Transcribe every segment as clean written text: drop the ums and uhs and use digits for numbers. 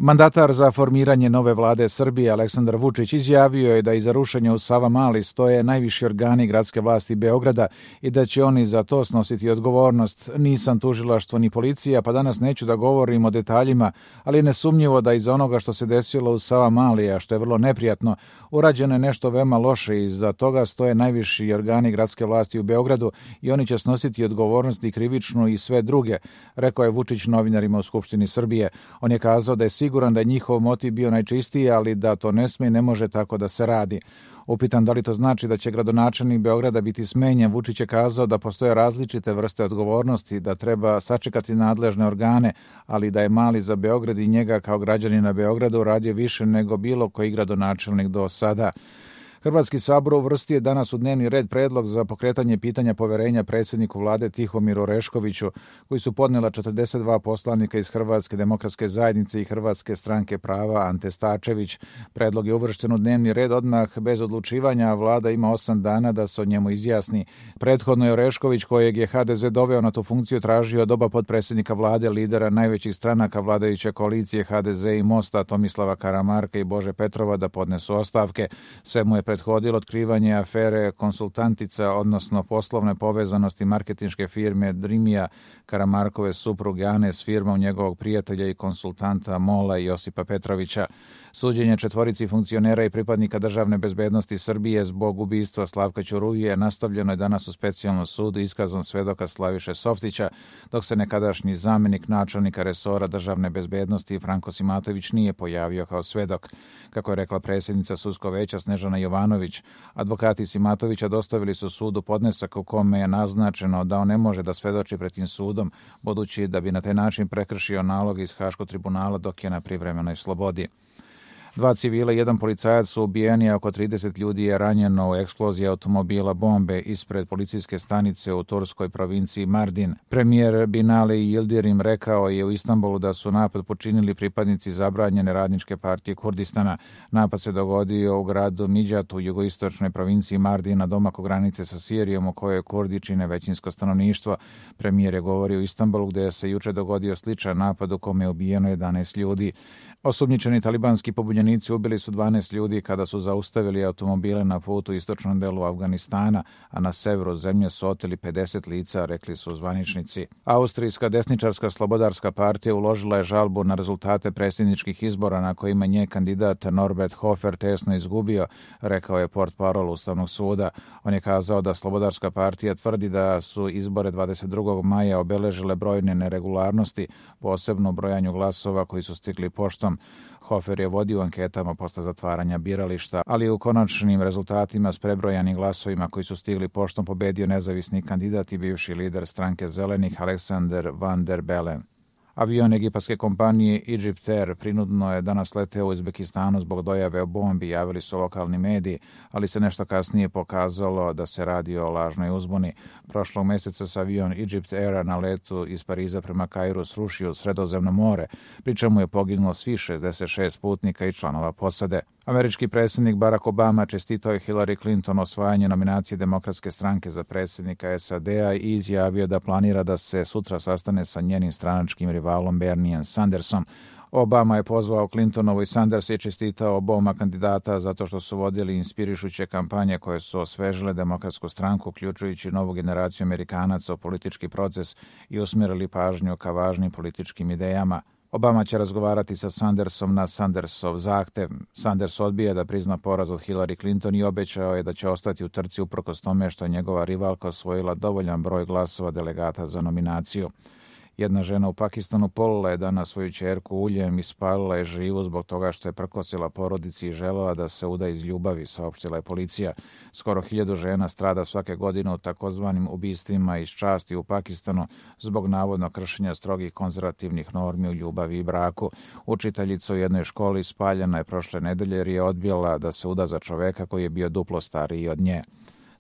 Mandatar za formiranje nove vlade Srbije Aleksandar Vučić izjavio je da iza rušenja u Savamali stoje najviši organi gradske vlasti Beograda i da će oni za to snositi odgovornost. Nisam tužilaštvo ni policija, pa danas neću da govorim o detaljima, ali je nesumnjivo da iza onoga što se desilo u Savamali, a što je vrlo neprijatno, urađeno je nešto veoma loše i iza toga stoje najviši organi gradske vlasti u Beogradu i oni će snositi odgovornost i krivičnu i sve druge, rekao je Vučić novinarima u Skupštini Srbije. On je kazao da je siguran da je njihov motiv bio najčistiji, ali da to ne sme i ne može tako da se radi. Upitan da li to znači da će gradonačelnik Beograda biti smenjen, Vučić je kazao da postoje različite vrste odgovornosti, da treba sačekati nadležne organe, ali da je Mali za Beograd i njega kao građanina Beograda uradio više nego bilo koji gradonačelnik do sada. Hrvatski sabor uvrstio je danas u dnevni red predlog za pokretanje pitanja poverenja predsjedniku vlade Tihomiru Oreškoviću, koji su podnela 42 poslanika iz Hrvatske demokratske zajednice i Hrvatske stranke prava Ante Stačević. Predlog je uvršten u dnevni red odmah bez odlučivanja, a vlada ima 8 dana da se o njemu izjasni. Prethodno je Orešković, kojeg je HDZ doveo na tu funkciju, tražio od oba potpredsjednika vlade, lidera najvećih stranaka vladajuće koalicije HDZ i Mosta, Tomislava Karamarka i Bože Petrova, da podnesu ostavke. Sve mu je prethodilo otkrivanje afere konsultantica, odnosno poslovne povezanosti marketinške firme Drimija, Karamarkove supruge Ane s firmom njegovog prijatelja i konsultanta Mola Josipa Petrovića. Suđenje četvorici funkcionera i pripadnika državne bezbednosti Srbije zbog ubistva Slavka Ćuruvije nastavljeno je danas u specijalnom sudu iskazom svedoka Slaviše Softića, dok se nekadašnji zamenik načelnika resora državne bezbednosti Franko Simatović nije pojavio kao svedok. Kako je rekla predsjednica sudskog veća Snežana Jovanović, advokati Simatovića dostavili su sudu podnesak u kome je naznačeno da on ne može da svedoči pred tim sudom, budući da bi na taj način prekršio nalog iz Haškog tribunala dok je na privremenoj slobodi. 2 civila i 1 policajac su ubijeni, a oko 30 ljudi je ranjeno u eksploziji automobila bombe ispred policijske stanice u turskoj provinciji Mardin. Premijer Binali Yildirim rekao je u Istanbulu da su napad počinili pripadnici zabranjene radničke partije Kurdistana. Napad se dogodio u gradu Midjatu u jugoistočnoj provinciji Mardin na domaku granice sa Sirijom, u kojoj Kurdi čine većinsko stanovništvo. Premijer je govorio u Istanbulu gdje se juče dogodio sličan napad u kome je ubijeno 11 ljudi. Osumnjičeni talibanski pobunjenici ubili su 12 ljudi kada su zaustavili automobile na putu u istočnom delu Afganistana, a na severu zemlje su oteli 50 lica, rekli su zvaničnici. Austrijska desničarska slobodarska partija uložila je žalbu na rezultate predsjedničkih izbora na kojima nje kandidat Norbert Hofer tesno izgubio, rekao je portparol Ustavnog suda. On je kazao da slobodarska partija tvrdi da su izbore 22. maja obeležile brojne neregularnosti, posebno u brojanju glasova koji su stigli poštom. Hofer je vodio anketama posle zatvaranja birališta, ali u konačnim rezultatima s prebrojanim glasovima koji su stigli poštom pobedio nezavisni kandidat i bivši lider stranke Zelenih Aleksander Van der Bellen. Avion egipatske kompanije Egypt Air prinudno je danas leteo u Uzbekistanu zbog dojave o bombi, javili su lokalni mediji, ali se nešto kasnije pokazalo da se radi o lažnoj uzbuni. Prošlog meseca se avion Egypt Aira na letu iz Pariza prema Kairu srušio u Sredozemno more, pri čemu je poginulo svih 66 putnika i članova posade. Američki predsjednik Barack Obama čestitao je Hillary Clinton osvajanje nominacije Demokratske stranke za predsjednika SAD-a i izjavio da planira da se sutra sastane sa njenim stranačkim rivalom Bernijem Sandersom. Obama je pozvao Clintonovu i Sanders i čestitao oboma kandidata zato što su vodili inspirišuće kampanje koje su osvežile Demokratsku stranku, uključujući novu generaciju Amerikanaca u politički proces i usmjerili pažnju ka važnim političkim idejama. Obama će razgovarati sa Sandersom na Sandersov zahtev. Sanders odbija da prizna poraz od Hillary Clinton i obećao je da će ostati u trci uprkos tome što je njegova rivalka osvojila dovoljan broj glasova delegata za nominaciju. Jedna žena u Pakistanu polila je danas svoju ćerku uljem i spalila je živu zbog toga što je prkosila porodici i želela da se uda iz ljubavi, saopštila je policija. Skoro 1000 žena strada svake godine u takozvanim ubistvima iz časti u Pakistanu zbog navodno kršenja strogih konzervativnih normi u ljubavi i braku. Učiteljica u jednoj školi spaljena je prošle nedelje jer je odbila da se uda za čoveka koji je bio duplo stariji od nje.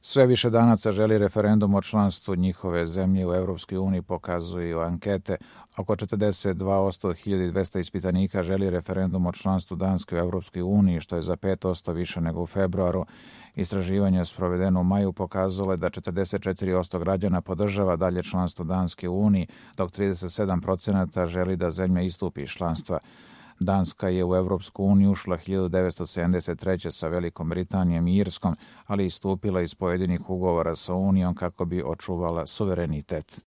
Sve više Danaca želi referendum o članstvu njihove zemlje u Europskoj uniji, pokazuju ankete. Oko 42% od 1200 ispitanika želi referendum o članstvu Danske u Europskoj uniji, što je za 5% više nego u februaru. Istraživanje sprovedeno u maju pokazalo je da 44% građana podržava dalje članstvo Danske u uniji, dok 37% želi da zemlja istupi iz članstva. Danska je u Evropsku uniju ušla 1973. sa Velikom Britanijom i Irskom, ali istupila iz pojedinih ugovora sa Unijom kako bi očuvala suverenitet.